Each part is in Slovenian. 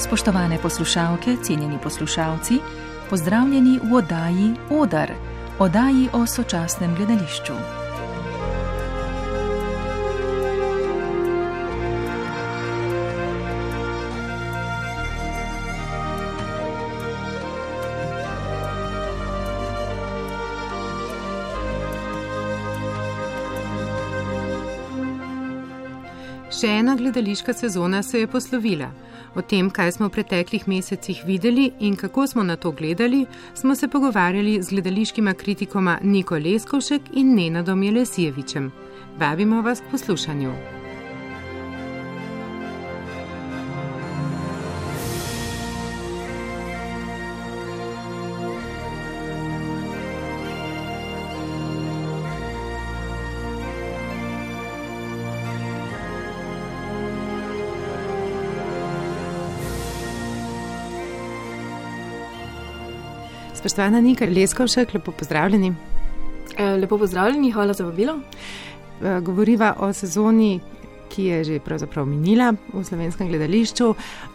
Spoštovane poslušalke, cenjeni poslušalci, pozdravljeni v oddaji Odar, oddaji o sočasnem gledališču. Še ena gledališka sezona se je poslovila. O tem, kaj smo v preteklih mesecih videli in kako smo na to gledali, smo se pogovarjali z gledališkima kritikoma Niko Leskovšek in Nenadom Jelesijevičem. Vabimo vas k poslušanju. Spoštovana Nika Leskovšek, lepo pozdravljeni. Lepo pozdravljeni, hvala za vabilo. Govoriva o sezoni, ki je že pravzaprav minila v slovenskem gledališču.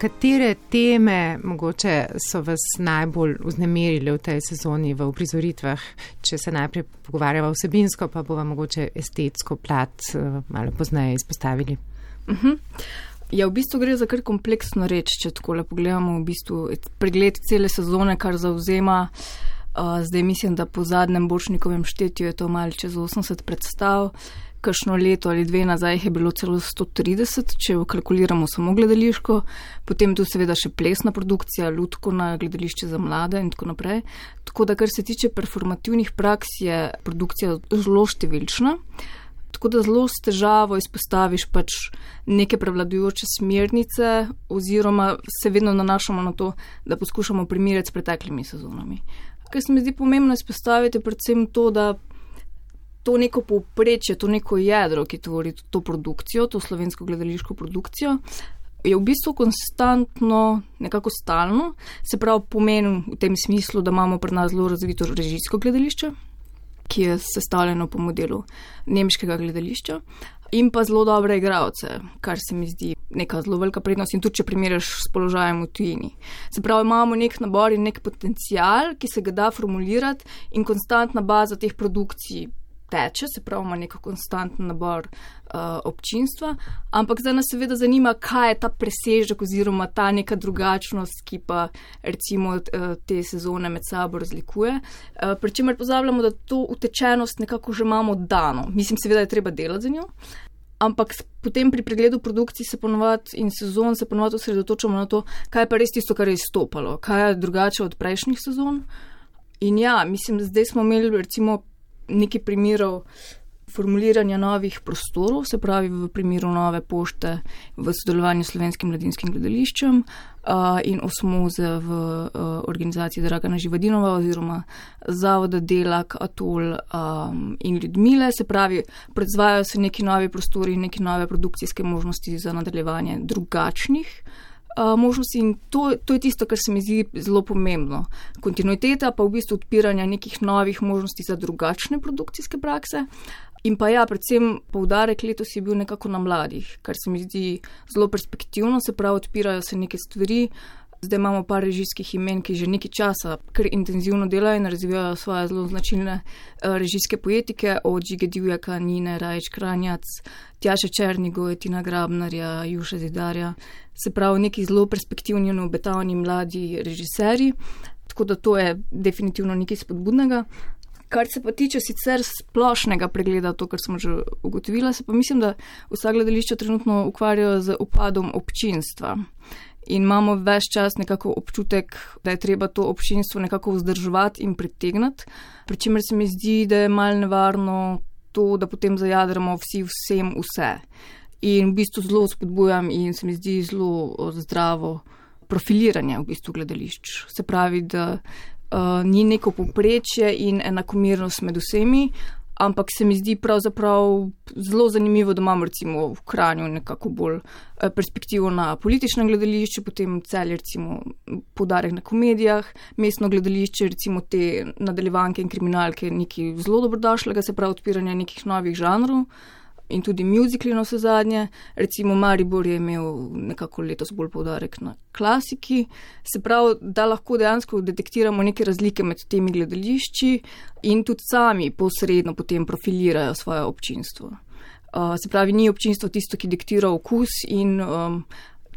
Katere teme mogoče so vas najbolj vznemirili v tej sezoni v uprizoritvah? Če se najprej pogovarjava vsebinsko, pa bova mogoče estetsko plat malo pozneje izpostavili. Ja, v bistvu gre za kar kompleksno reč, če takole pogledamo v bistvu pregled cele sezone, kar zavzema. Zdaj mislim, da po zadnjem Borštnikovem štetju je to malo čez 80 predstav. Kakšno leto ali dve nazaj je bilo celo 130, če kalkuliramo samo gledališko. Potem tu seveda še plesna produkcija, lutkovna, gledališče za mlade in tako naprej. Tako da, kar se tiče performativnih praks, je produkcija zelo številčna. Tako da zelo s težavo izpostaviš pač neke prevladujoče smernice oziroma se vedno nanašamo na to, da poskušamo primerjati s preteklimi sezonami. Kar se mi zdi pomembno izpostaviti, predvsem to, da to neko povprečje, to neko jedro, ki tvori to produkcijo, to slovensko gledališko produkcijo, je v bistvu konstantno, nekako stalno, se pravi pomeni v tem smislu, da imamo pri nas zelo razvito režijsko gledališče, ki je sestavljeno po modelu nemškega gledališča in pa zelo dobre igralce, kar se mi zdi neka zelo velika prednost in tudi, če primerjaš s položajem v tujini. Se pravi, imamo nek nabor in nek potencial, ki se ga da formulirati in konstantna baza teh produkcij teče, se pravi, ima nek konstanten nabor občinstva, ampak zdaj nas seveda zanima, kaj je ta presežek oziroma ta neka drugačnost, ki pa recimo te sezone med sabo razlikuje. Pri čemer pozabljamo, da to utečenost nekako že imamo dano. Mislim, seveda je treba delati za njo, ampak potem pri pregledu produkcij se ponovadi in sezon se ponovadi osredotočamo na to, kaj je pa res tisto, kar je izstopalo, kaj je drugače od prejšnjih sezon. In ja, mislim, zdaj smo imeli recimo nekaj primerov formuliranja novih prostorov, se pravi v primeru Nove pošte v sodelovanju s Slovenskim mladinskim gledališčem in Osmoze v organizaciji Dragana Živadinova oziroma Zavoda Delak, Atol in Ljudmile, se pravi, proizvajajo se neki novi prostori in neki nove produkcijske možnosti za nadaljevanje drugačnih možnosti in to je tisto, kar se mi zdi zelo pomembno. Kontinuiteta pa v bistvu odpiranja nekih novih možnosti za drugačne produkcijske prakse. In pa ja, predvsem poudarek letos je bil nekako na mladih, kar se mi zdi zelo perspektivno, se pravi, odpirajo se neke stvari. Zdaj imamo par režijskih imen, ki že nekaj časa kar intenzivno delajo in razvijajo svoje zelo značilne režijske poetike, od Žige Divjaka, Nine Rajić Kranjac, Tjaše Černigoj, Tina Grabnarja, Juše Zidarja. Se pravi, neki zelo perspektivni in obetavni mladi režiserji, tako da to je definitivno nekaj spodbudnega. Kar se pa tiče sicer splošnega pregleda, to, kar smo že ugotovila, se pa mislim, da vsa gledališča trenutno ukvarjajo z upadom občinstva. In imamo ves čas nekako občutek, da je treba to občinstvo nekako vzdrževati in pritegnati, pri čemer se mi zdi, da je malo nevarno to, da potem zajadramo vsi vsem vse. In v bistvu zelo spodbujam in se mi zdi zelo zdravo profiliranje v bistvu gledališč. Se pravi, da ni neko povprečje in enakomernost med vsemi, ampak se mi zdi pravzaprav zelo zanimivo, da imamo recimo v Kranju nekako bolj perspektivo na političnem gledališču, potem Celje recimo poudarek na komedijah, mestno gledališče recimo te nadaljevanke in kriminalke nekaj zelo dobrodošlega, se pravi odpiranje nekih novih žanrov. in tudi muzikli na vse zadnje. Recimo Maribor je imel nekako letos bolj poudarek na klasiki. Se pravi, da lahko dejansko detektiramo neke razlike med temi gledališči in tudi sami posredno potem profilirajo svoje občinstvo. Se pravi, ni občinstvo tisto, ki diktira okus in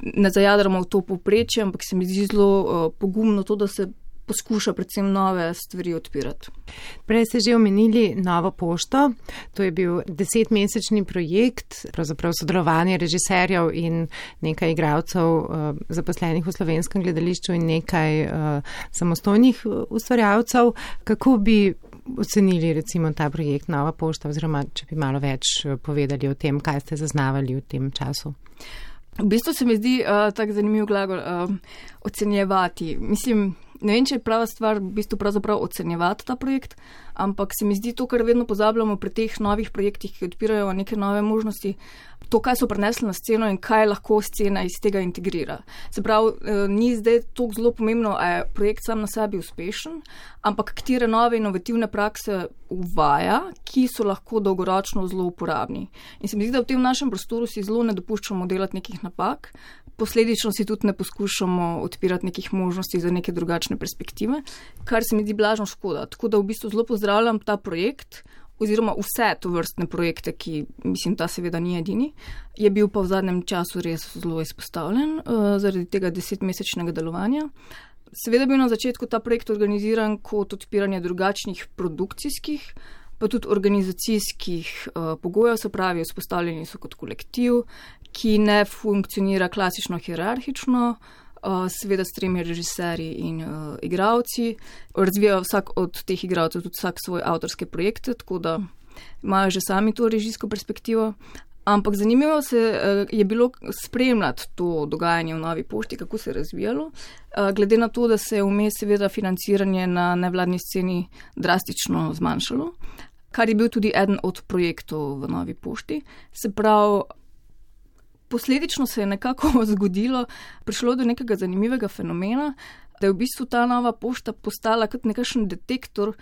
ne zajadramo v to povprečje, ampak se mi zdi zelo pogumno to, da se poskuša predvsem nove stvari odpirati. Prej ste že omenili Novo pošto. To je bil 10-mesečni projekt, pravzaprav sodelovanje režiserjev in nekaj igralcev zaposlenih v Slovenskem gledališču in nekaj samostojnih ustvarjalcev. Kako bi ocenili recimo ta projekt Nova pošta, oziroma če bi malo več povedali o tem, kaj ste zaznavali v tem času? V bistvu se mi zdi tak zanimiv glagol ocenjevati. Mislim, ne vem, če je prava stvar v bistvu pravzaprav ocenjevati ta projekt, ampak se mi zdi to, kar vedno pozabljamo pri teh novih projektih, ki odpirajo neke nove možnosti, to, kaj so prinesli na sceno in kaj lahko scena iz tega integrira. Se pravi, ni zdaj toliko zelo pomembno, a je projekt sam na sebi uspešen, ampak katere nove inovativne prakse uvaja, ki so lahko dolgoročno zelo uporabni. In se mi zdi, da v tem našem prostoru si zelo ne dopuščamo delati nekih napak, posledično si tudi ne poskušamo odpirati nekih možnosti za neke drugačne perspektive, kar se mi zdi blažno škoda. Tako da v bistvu zelo pozdravljam ta projekt, oziroma vse to vrstne projekte, ki, mislim, ta seveda ni edini, je bil pa v zadnjem času res zelo izpostavljen zaradi tega 10-mesečnega delovanja. Seveda je bil na začetku ta projekt organiziran kot odpiranje drugačnih produkcijskih, pa tudi organizacijskih pogojev, se pravi, vzpostavljeni so kot kolektiv, ki ne funkcionira klasično hierarhično, seveda s 3 režiserji in igralci. Razvijajo vsak od teh igralcev tudi vsak svoj avtorske projekte, tako da imajo že sami to režijsko perspektivo. Ampak zanimivo je bilo spremljati to dogajanje v Novi pošti, kako se je razvijalo, glede na to, da se je vmes seveda financiranje na nevladni sceni drastično zmanjšalo, kar je bil tudi eden od projektov v Novi pošti. Se pravi, posledično se je nekako zgodilo, prišlo do nekega zanimivega fenomena, da je v bistvu ta Nova pošta postala kot nekakšen detektor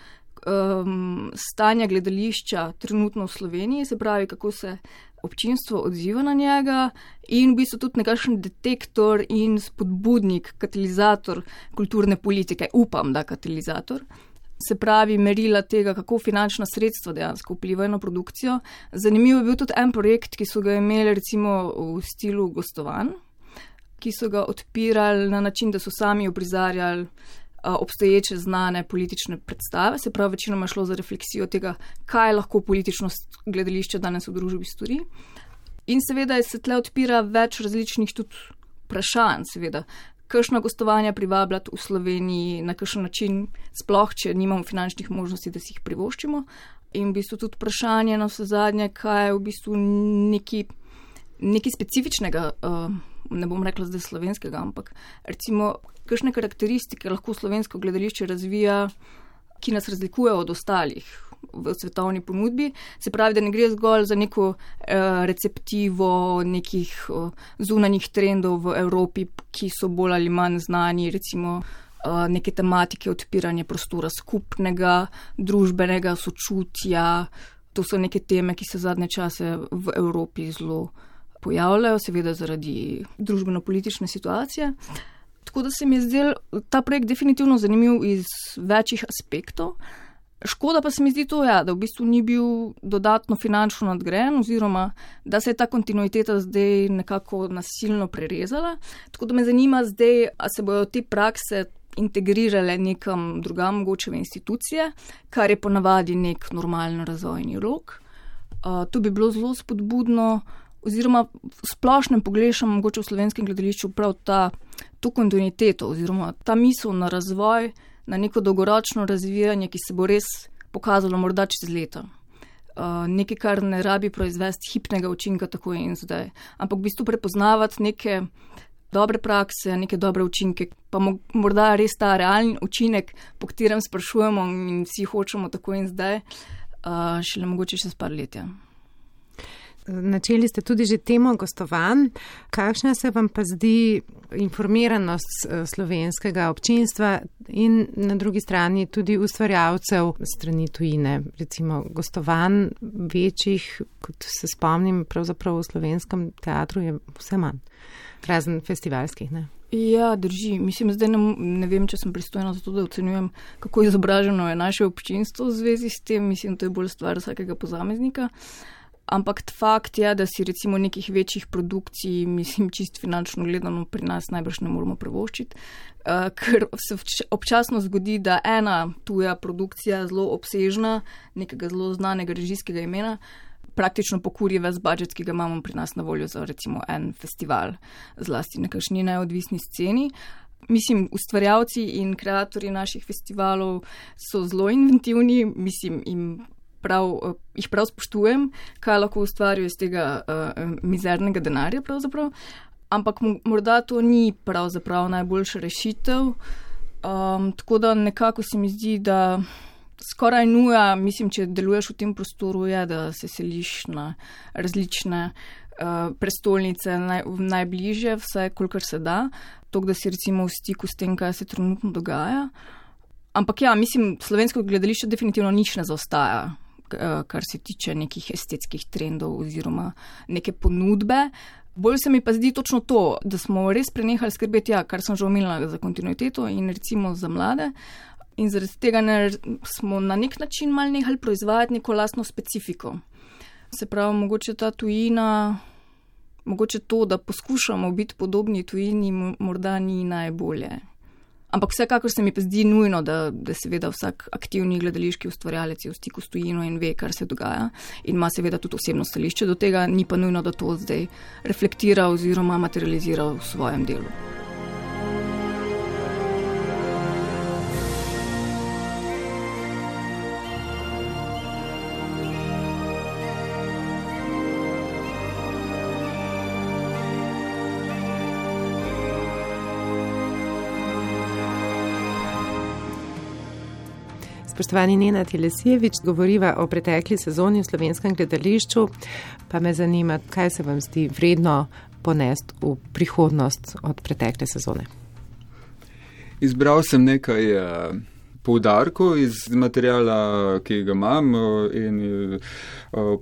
stanja gledališča trenutno v Sloveniji, se pravi, kako se občinstvo odziva na njega in v bistvu tudi nekakšen detektor in spodbudnik, katalizator kulturne politike, upam, da katalizator. Se pravi, merila tega, kako finančna sredstva dejansko vplivajo na produkcijo. Zanimivo je bil tudi en projekt, ki so ga imeli recimo v stilu gostovanj, ki so ga odpirali na način, da so sami uprizarjali obstoječe znane politične predstave, se pravi, večinoma šlo za refleksijo tega, kaj lahko politično gledališče danes v družbi stori. In seveda se tle odpira več različnih tudi vprašanj, seveda, kakšna gostovanja privabljati v Sloveniji, na kakšen način, sploh, če nimamo finančnih možnosti, da si jih privoščimo. In v bistvu tudi vprašanje na vse zadnje, kaj je v bistvu nekaj specifičnega, ne bom rekla zdaj slovenskega, ampak recimo, kakšne karakteristike lahko slovensko gledališče razvija, ki nas razlikuje od ostalih v svetovni ponudbi. Se pravi, da ne gre zgolj za neko receptivo nekih zunanjih trendov v Evropi, ki so bolj ali manj znani, recimo neke tematike odpiranja prostora skupnega, družbenega sočutja. To so neke teme, ki se zadnje čase v Evropi zelo pojavljajo, seveda zaradi družbeno-politične situacije. Tako da se mi je zdel ta projekt definitivno zanimiv iz večjih aspektov. Škoda pa se mi zdi to, da v bistvu ni bil dodatno finančno nadgrajen, oziroma da se je ta kontinuiteta zdaj nekako nasilno prerezala. Tako da me zanima zdaj, a se bojo te prakse integrirale nekam drugam, mogoče v institucije, kar je ponavadi nek normalen razvojni rok. To bi bilo zelo spodbudno, oziroma v splošnem pogrešam mogoče v slovenskem gledališču prav to kontinuiteto, oziroma ta misel na razvoj, na neko dolgoročno razvijanje, ki se bo res pokazalo morda čez leta. Nekaj, kar ne rabi proizvesti hipnega učinka tako in zdaj, ampak v bistvu prepoznavati neke dobre prakse, neke dobre učinke, pa morda res ta realni učinek, po katerem sprašujemo in vsi hočemo tako in zdaj, šele mogoče čez par let. Načeli ste tudi že temo gostovanj. Kakšna se vam pa zdi informiranost slovenskega občinstva in na drugi strani tudi ustvarjalcev strani tujine, recimo gostovanj večjih, kot se spomnim, pravzaprav v slovenskem teatru je vse manj, razen festivalskih, ne? Ja, drži. Mislim, zdaj ne vem, če sem pristojna za to, da ocenjujem, kako izobraženo je naše občinstvo v zvezi s tem. Mislim, to je bolj stvar vsakega posameznika. Ampak fakt je, da si recimo nekih večjih produkcij, mislim, čist finančno gledano pri nas najbrž ne moramo privoščiti, ker se občasno zgodi, da ena tuja produkcija zelo obsežna, nekega zelo znanega režijskega imena, praktično pokuri ves budžet, ki ga imamo pri nas na voljo za recimo en festival, zlasti na kakšni neodvisni sceni. Mislim, ustvarjalci in kreatorji naših festivalov so zelo inventivni, mislim, jih prav spoštujem, kaj lahko ustvarijo iz tega mizernega denarja pravzaprav, ampak morda to ni pravzaprav najboljša rešitev, tako da nekako se mi zdi, da skoraj nuja, mislim, če deluješ v tem prostoru, je, da se seliš na različne prestolnice najbližje, vsaj kolikor se da, tako da si recimo v stiku s tem, kaj se trenutno dogaja. Ampak ja, mislim, slovensko gledališče definitivno nič ne zaostaja, kar se tiče nekih estetskih trendov oziroma neke ponudbe. Bolj se mi pa zdi točno to, da smo res prenehali skrbeti, kar sem že omenila, za kontinuiteto in recimo za mlade. In zaradi tega smo na nek način malo nehali proizvajati neko lastno specifiko. Se pravi, mogoče ta tujina, mogoče to, da poskušamo biti podobni tujini, morda ni najbolje. Ampak vsekakor se mi pa zdi nujno, da seveda vsak aktivni gledališki ustvarjalec je v stiku s tujino in ve, kar se dogaja in ima seveda tudi osebno stališče do tega, ni pa nujno, da to zdaj reflektira oziroma materializira v svojem delu. Spoštovani Nenad Jelesijevič, govoriva o pretekli sezoni v slovenskem gledališču, pa me zanima, kaj se vam zdi vredno ponesti v prihodnost od pretekle sezone. Izbral sem nekaj poudarkov iz materijala, ki ga imam in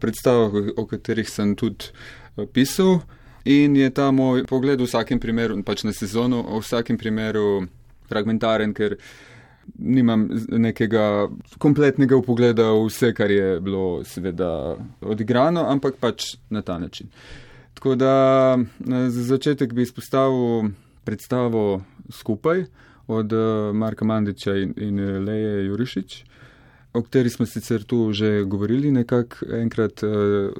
predstavah, o katerih sem tudi pisal. In je ta moj pogled v vsakem primeru, pač na sezono, v vsakem primeru fragmentaren, ker nimam nekega kompletnega upogleda v vse, kar je bilo seveda odigrano, ampak pač na ta način. Tako da za začetek bi izpostavil predstavo Skupaj od Marka Mandića in Leje Jurišič, o kateri smo sicer tu že govorili nekako enkrat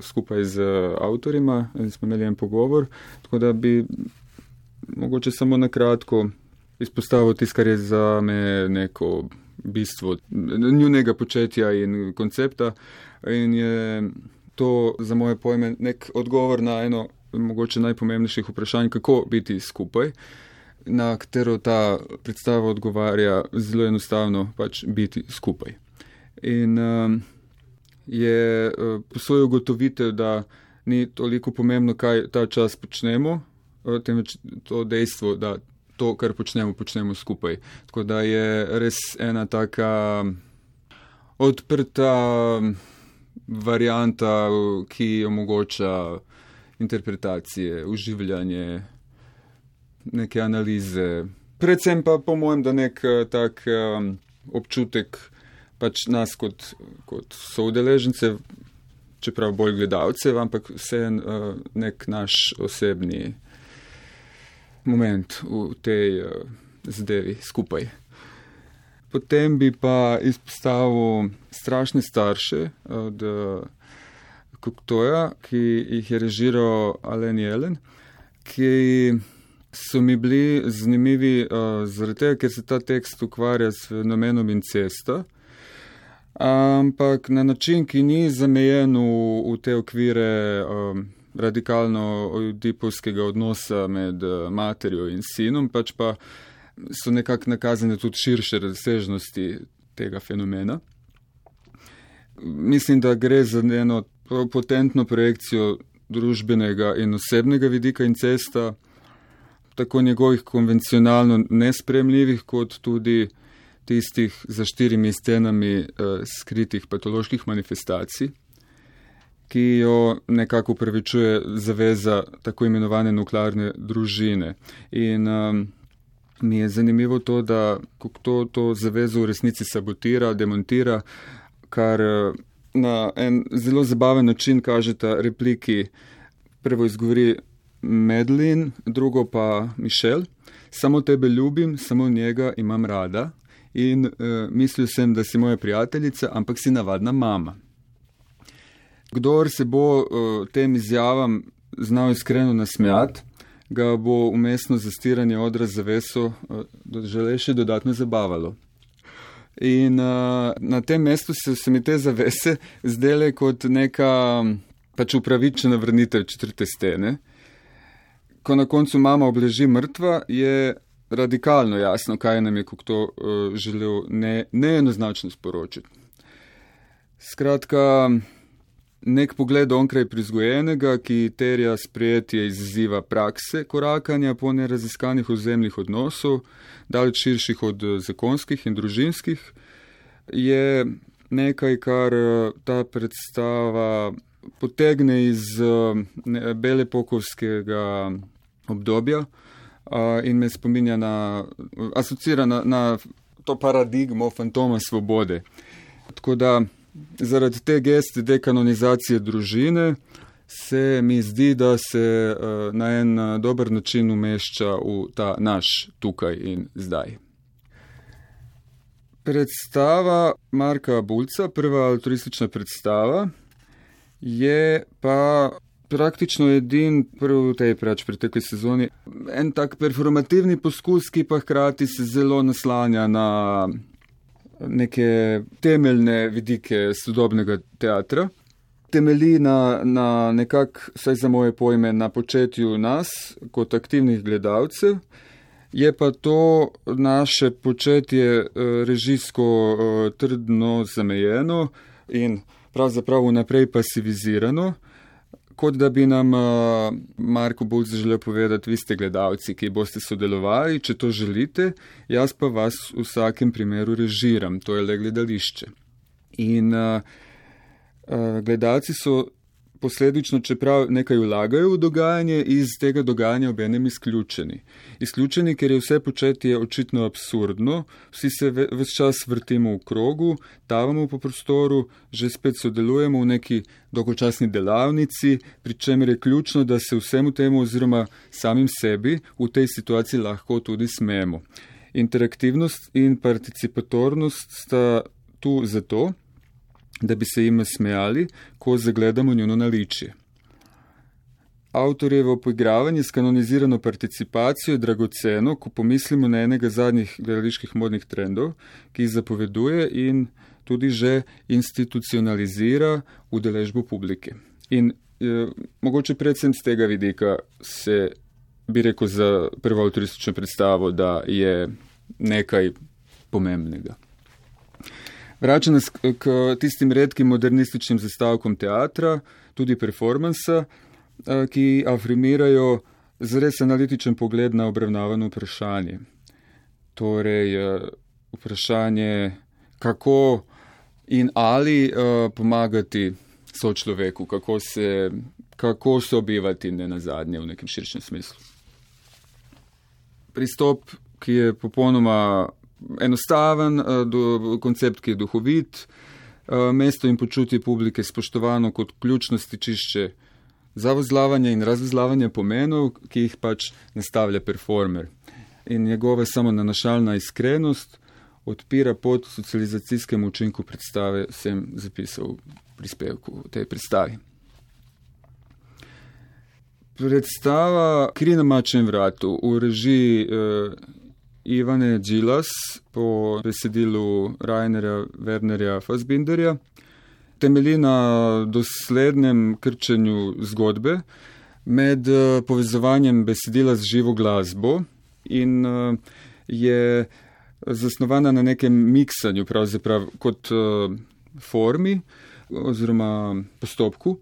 skupaj z avtorima in smo imeli en pogovor, tako da bi mogoče samo na kratko izpostavil tisto, kar je za me neko bistvo njunega početja in koncepta in je to za moje pojme nek odgovor na eno mogoče najpomembnejših vprašanj, kako biti skupaj, na katero ta predstava odgovarja zelo enostavno pač biti skupaj. In je po svojo ugotovitev, da ni toliko pomembno, kaj ta čas počnemo, temveč to dejstvo, da to, kar počnemo skupaj. Tako da je res ena taka odprta varianta, ki omogoča interpretacije, uživljanje, neke analize. Predvsem pa po mojem, da nek tak občutek pač nas kot soudeležence, čeprav bolj gledalcev, ampak vse nek naš osebni moment v tej zadevi skupaj. Potem bi pa izpostavil Strašne starše od Cocteauja, ki jih je režiral Alain Jelen, ki so mi bili zanimivi zaradi tega, ker se ta tekst ukvarja s fenomenom incesta, ampak na način, ki ni zamejen v te okvire radikalno oidipovskega odnosa med materjo in sinom, pač pa so nekako nakazane tudi širše razsežnosti tega fenomena. Mislim, da gre za eno potentno projekcijo družbenega in osebnega vidika incesta, tako njegovih konvencionalno nespremljivih, kot tudi tistih za 4 stenami skritih patoloških manifestacij, ki jo nekako upravičuje zaveza tako imenovane nuklearne družine. In mi je zanimivo to, da kako to zavezo v resnici sabotira, demontira, kar na en zelo zabaven način kažeta repliki. Prvo izgovori Madeline, drugo pa Michelle. Samo tebe ljubim, samo njega imam rada in mislil sem, da si moja prijateljica, ampak si navadna mama. Kdor se bo tem izjavam znal iskreno nasmejati, ga bo umestno zastiranje odra zaveso žele še dodatno zabavalo. In na tem mestu se mi te zavese zdele kot neka pač upravičena vrnitev 4. stene. Ko na koncu mama obleži mrtva, je radikalno jasno, kaj nam je to želel neenoznačno sporočiti. Skratka, nek pogled onkraj prizgojenega, ki terja sprejetje izziva prakse korakanja po neraziskanih ozemnih odnosov, daleč širših od zakonskih in družinskih, je nekaj, kar ta predstava potegne iz belepokovskega obdobja in me spominja asocira na to paradigmo fantoma svobode. Tako da zaradi te geste dekanonizacije družine se mi zdi, da se na en dober način umešča v ta naš tukaj in zdaj. Predstava Marka Bulca, prva altruistična predstava, je pa praktično edin prvi v tej pretekli sezoni en tak performativni poskus, ki pa hkrati se zelo naslanja na neke temeljne vidike sodobnega teatra. Temelji na nekak, saj za moje pojme, na početju nas kot aktivnih gledalcev, je pa to naše početje režijsko trdno zamejeno in pravzaprav vnaprej pasivizirano, kot da bi nam Marko Bulc želel povedati, vi ste gledalci, ki boste sodelovali, če to želite, jaz pa vas v vsakem primeru režiram, to je le gledališče. In gledalci so posledično, čeprav nekaj vlagajo v dogajanje, iz tega dogajanja obenem izključeni. Izključeni, ker je vse početje očitno absurdno, vsi se ves čas vrtimo v krogu, tavamo po prostoru, že spet sodelujemo v neki dolgočasni delavnici, pri čemer je ključno, da se vsemu temu oziroma samim sebi v tej situaciji lahko tudi smejemo. Interaktivnost in participatornost sta tu zato, da bi se jim smejali, ko zagledamo njuno naličje. Avtorjevo poigravanje s kanonizirano participacijo je dragoceno, ko pomislimo na enega zadnjih gledaliških modnih trendov, ki jih zapoveduje in tudi že institucionalizira udeležbo publike. In mogoče predvsem z tega vidika se bi rekel za prvo avtoristično predstavo, da je nekaj pomembnega. Vrača nas k tistim redkim modernističnim zastavkom teatra, tudi performansa, ki afirmirajo zares analitičen pogled na obravnavano vprašanje. Torej, vprašanje, kako in ali pomagati sočloveku, kako sobivati nenazadnje v nekem širšem smislu. Pristop, ki je popolnoma enostaven, koncept, ki je duhovit, mesto in počutje publike spoštovano kot ključno stičišče za vozlavanje in razvozlavanje pomenov, ki jih pač nastavlja performer. In njegova samonanašalna iskrenost odpira pot socializacijskemu učinku predstave, sem zapisal v prispevku v tej predstavi. Predstava Kri na mačjem vratu v režiji Ivane Džilas po besedilu Rainerja Wernerja Fassbinderja temelji na doslednem krčenju zgodbe med povezovanjem besedila z živo glasbo in je zasnovana na nekem miksanju, pravzaprav kot formi oziroma postopku,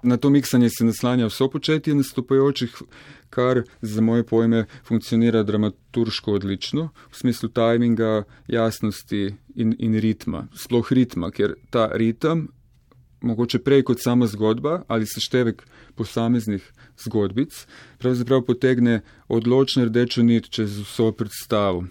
Na to miksanje se naslanja vso početje nastopajočih, kar za moje pojme funkcionira dramaturško odlično, v smislu tajminga, jasnosti in ritma. Sploh ritma, ker ta ritem, mogoče prej kot sama zgodba ali seštevek posameznih zgodbic, pravzaprav potegne odločno rdečo nit čez vso predstavo.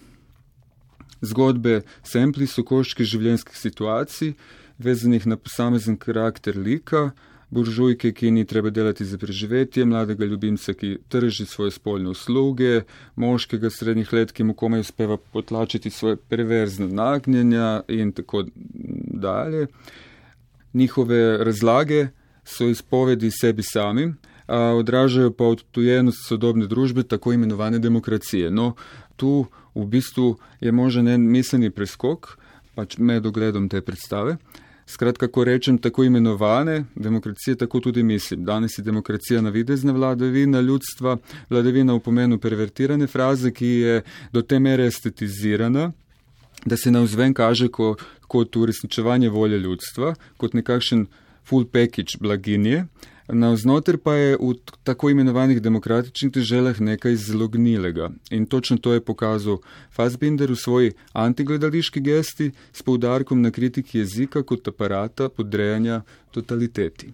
Zgodbe sempli so koščki življenjskih situacij, vezanih na posamezen karakter lika, buržujke, ki ni treba delati za preživetje, mladega ljubimca, ki trži svoje spolne usluge, moškega srednjih let, ki mu komaj uspeva potlačiti svoje perverzne nagnjenja in tako dalje. Njihove razlage so izpovedi sebi samim, a odražajo pa odtujenost sodobne družbe, tako imenovane demokracije. No, tu v bistvu je možen en miselni preskok, pač med ogledom te predstave. Skratka, ko rečem tako imenovane demokracije, tako tudi mislim. Danes je demokracija navidezna vladavina ljudstva, vladavina v pomenu pervertirane fraze, ki je do te mere estetizirana, da se navzven kaže kot uresničevanje volje ljudstva, kot nekakšen full package blaginje, navznoter pa je v tako imenovanih demokratičnih deželah nekaj zelo gnilega. In točno to je pokazal Fassbinder v svoji antigledališki gesti s poudarkom na kritiki jezika kot aparata podrejanja totaliteti.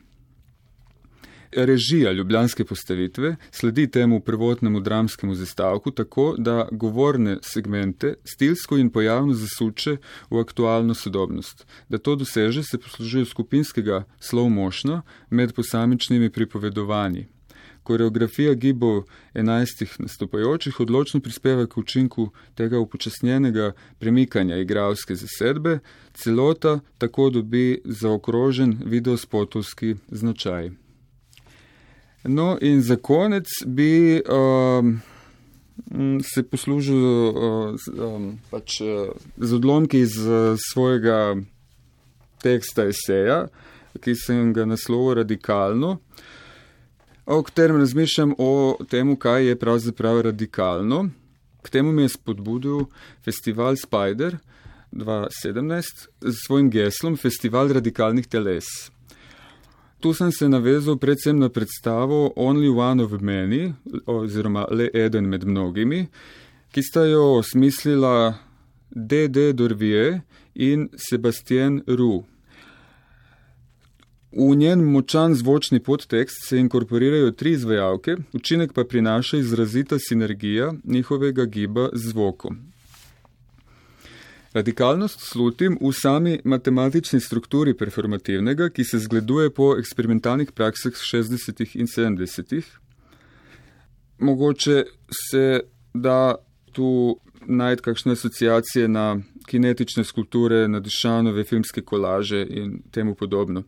Režija ljubljanske postavitve sledi temu prvotnemu dramskemu zastavku tako, da govorne segmente stilsko in pojavno zasuče v aktualno sodobnost. Da to doseže, se poslužuje skupinskega slow motiona med posamičnimi pripovedovanji. Koreografija gibov 11 nastopajočih odločno prispeva k učinku tega upočasnjenega premikanja igralske zasedbe, celota tako dobi zaokrožen videospotovski značaj. No in za konec bi se poslužil z odlomki iz svojega teksta eseja, ki sem ga naslovil Radikalno, o katerem razmišljam o temu, kaj je pravzaprav radikalno. K temu mi je spodbudil festival Spider 2017 z svojim geslom Festival radikalnih teles. Tu sem se navezal predvsem na predstavo Only One of Many, oziroma Le eden med mnogimi, ki sta jo osmislila D.D. Dorvier in Sebastien Roux. V njen močan zvočni podtekst se inkorporirajo 3 izvajalke, učinek pa prinaša izrazita sinergija njihovega giba z zvokom. Radikalnost slutim v sami matematični strukturi performativnega, ki se zgleduje po eksperimentalnih praksah 60. in 70. Mogoče se da tu najti kakšne asociacije na kinetične skulpture, na Duchanove filmske kolaže in temu podobno.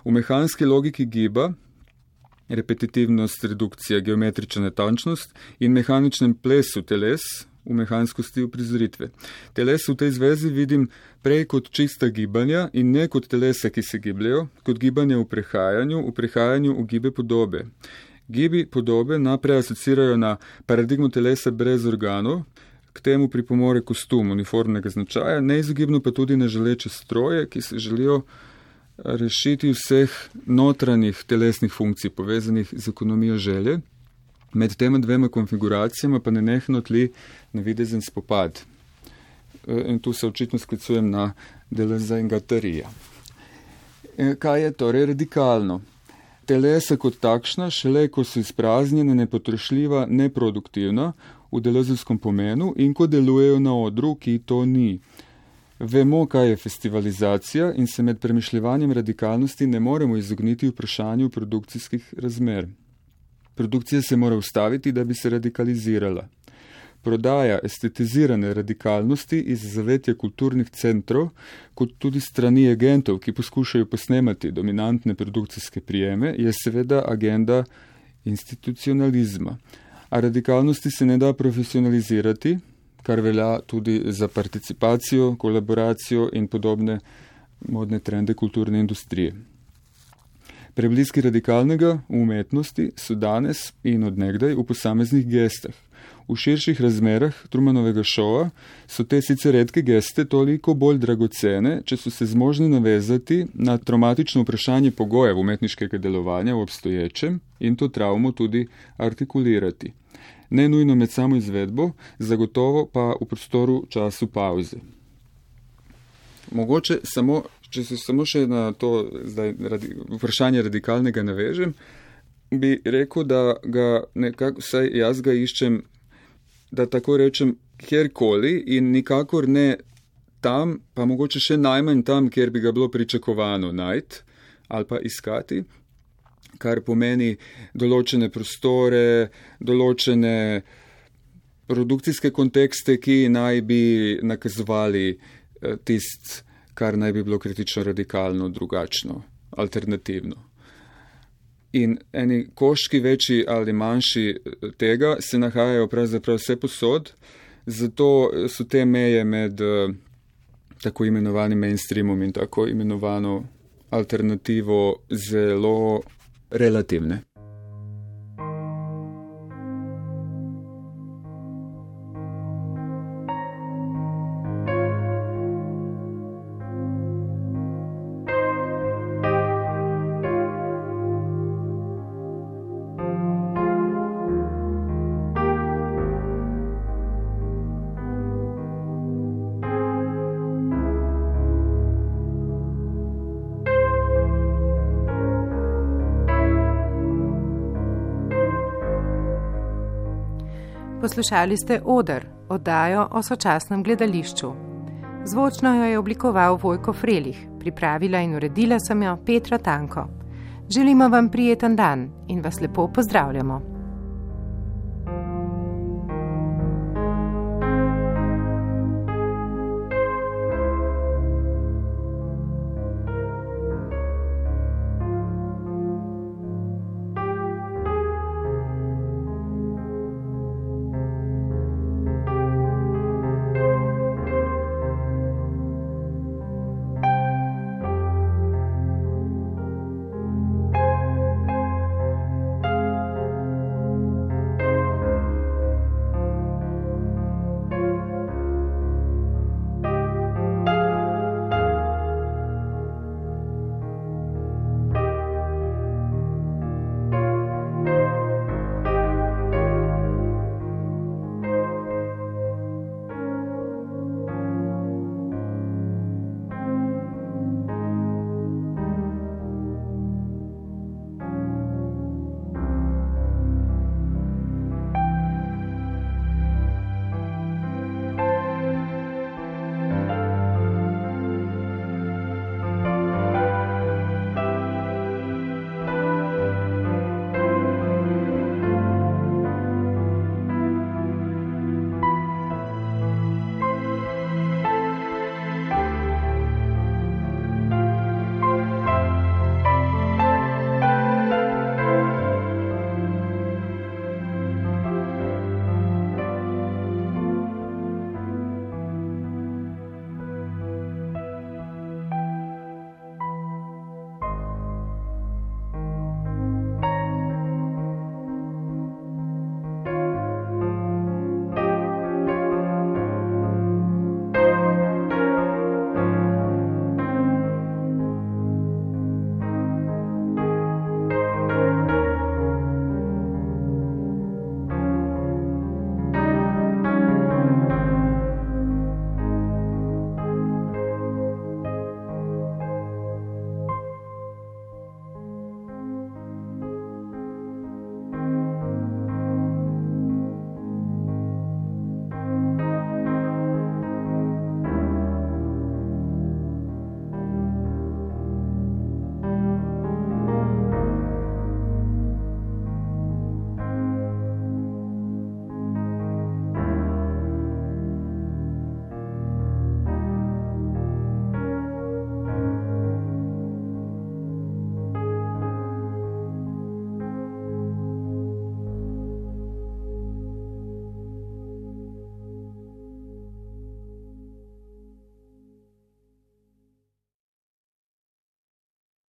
V mehanski logiki giba, repetitivnost, redukcija, geometrična natančnost in mehaničnem plesu teles, v mehanskosti uprizoritve. Teles v tej zvezi vidim prej kot čista gibanja in ne kot telesa, ki se gibljajo, kot gibanja v prehajanju v gibe podobe. Gibi podobe naprej asocirajo na paradigmo telesa brez organov, k temu pripomore kostum uniformnega značaja, neizogibno pa tudi na želeče stroje, ki se želijo rešiti vseh notranjih telesnih funkcij povezanih z ekonomijo želje. Med tema 2 konfiguracijama pa nenehno tli navidezen spopad. In tu se očitno sklicujem na Deleuza in Guattarija. Kaj je torej radikalno? Telesa kot takšna, šele ko so izpraznjena, nepotrošljiva, neproduktivna v deleuzovskem pomenu in ko delujejo na odru, ki to ni. Vemo, kaj je festivalizacija in se med premišljevanjem radikalnosti ne moremo izogniti vprašanju produkcijskih razmer. Produkcija se mora ustaviti, da bi se radikalizirala. Prodaja estetizirane radikalnosti iz zavetja kulturnih centrov, kot tudi strani agentov, ki poskušajo posnemati dominantne produkcijske prijeme, je seveda agenda institucionalizma. A radikalnosti se ne da profesionalizirati, kar velja tudi za participacijo, kolaboracijo in podobne modne trende kulturne industrije. Prebliski radikalnega v umetnosti so danes in odnegdaj v posameznih gestah. V širših razmerah Trumanovega šova so te sicer redke geste toliko bolj dragocene, če so se zmožni navezati na traumatično vprašanje pogojev umetniškega delovanja v obstoječem in to travmo tudi artikulirati. Ne nujno med samo izvedbo, zagotovo pa v prostoru času pauze. Mogoče samo, če se samo še na to zdaj vprašanje radikalnega navežem, bi rekel, da ga nekako, vsaj jaz ga iščem, da tako rečem, kjerkoli in nikakor ne tam, pa mogoče še najmanj tam, kjer bi ga bilo pričakovano najti ali pa iskati, kar pomeni določene prostore, določene produkcijske kontekste, ki naj bi nakazovali tisto, kar naj bi bilo kritično radikalno, drugačno, alternativno. In eni koščki večji ali manjši tega se nahajajo pravzaprav vse posod, zato so te meje med tako imenovanim mainstreamom in tako imenovano alternativo zelo relativne. Poslušali ste Oder, oddajo o sočasnem gledališču. Zvočno jo je oblikoval Vojko Frelih, pripravila in uredila sem jo Petra Tanko. Želimo vam prijeten dan in vas lepo pozdravljamo.